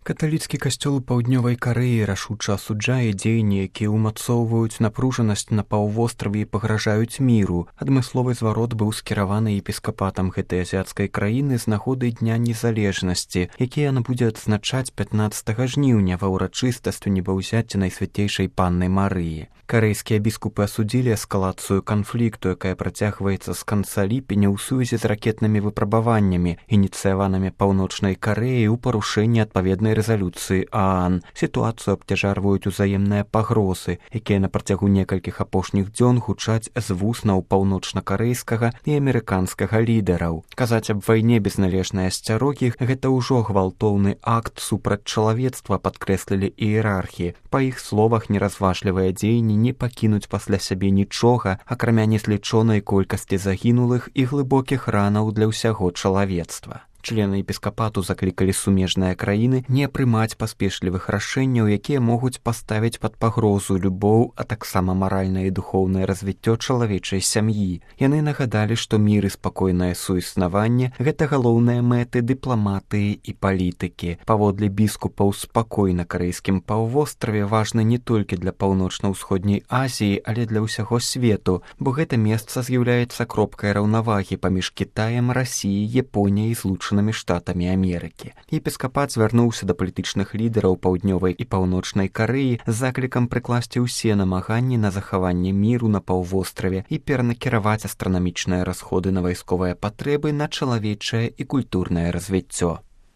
Каталіцкі касцёл у паўднёвай Карэі рашуча асуджае дзеянні, якія ўмацоўваюць напружанасць на паўвостраве і пагражаюць міру. Адмысловы зварот быў скіраваны епіскапатам гэтай азіяцкай краіны з нагоды Дня незалежнасці, які яна будзе адзначаць 15 жніўня ва ўрачыстасці небаўзяцця Найсвяцейшай Панны Марыі. Карэйскія біскупы асудзілі эскалацыю канфлікту, якая працягваецца з канца ліпеня ў сувязі з ракетнымі выпрабаваннямі, ініцыяванымі Паўночнай Карэяй у парушэнні адпаведнай рэзалюцыі ААН. Сітуацыю абцяжарваюць узаемныя пагрозы, якія на працягу некалькіх апошніх дзён гучаць з вуснаў паўночна-карэйскага і амерыканскага лідараў. Казаць аб вайне без належнай асцярогі – гэта ўжо гвалтоўны акт супраць чалавецтва, падкрэслілі іерархі. Па іх словах, неразважлівыя дзеянні не пакінуць пасля сябе нічога, акрамя незлічонай колькасці загінулых і глыбокіх ранаў для ўсяго чалавецтва. Члены епіскапату заклікалі сумежныя краіны не прымаць паспешлівых рашэнняў, якія могуць паставіць пад пагрозу любоў, а таксама маральнае і духоўнае развіццё чалавечай сям'і. Яны нагадалі, што мір і спакойнае суіснаванне – гэта галоўныя мэты дыпламатыі і палітыкі. Паводле біскупаў, спакой на карэйскім паўвостраве важны не толькі для паўночна-ўсходняй Азіі, але для ўсяго свету, бо гэта месца з'яўляецца кропкай раўнавагі паміж Кітаем, Расіяй, Японіяй і Злучанымі Штатамі Амерыкі. Епіскапат звярнуўся да палітычных лідараў паўднёвай і паўночнай Карэі з заклікам прыкласці ўсе намаганні на захаванне міру на паўвостраве і перанакіраваць астранамічныя расходы на вайсковыя патрэбы на чалавечае і культурнае развіццё.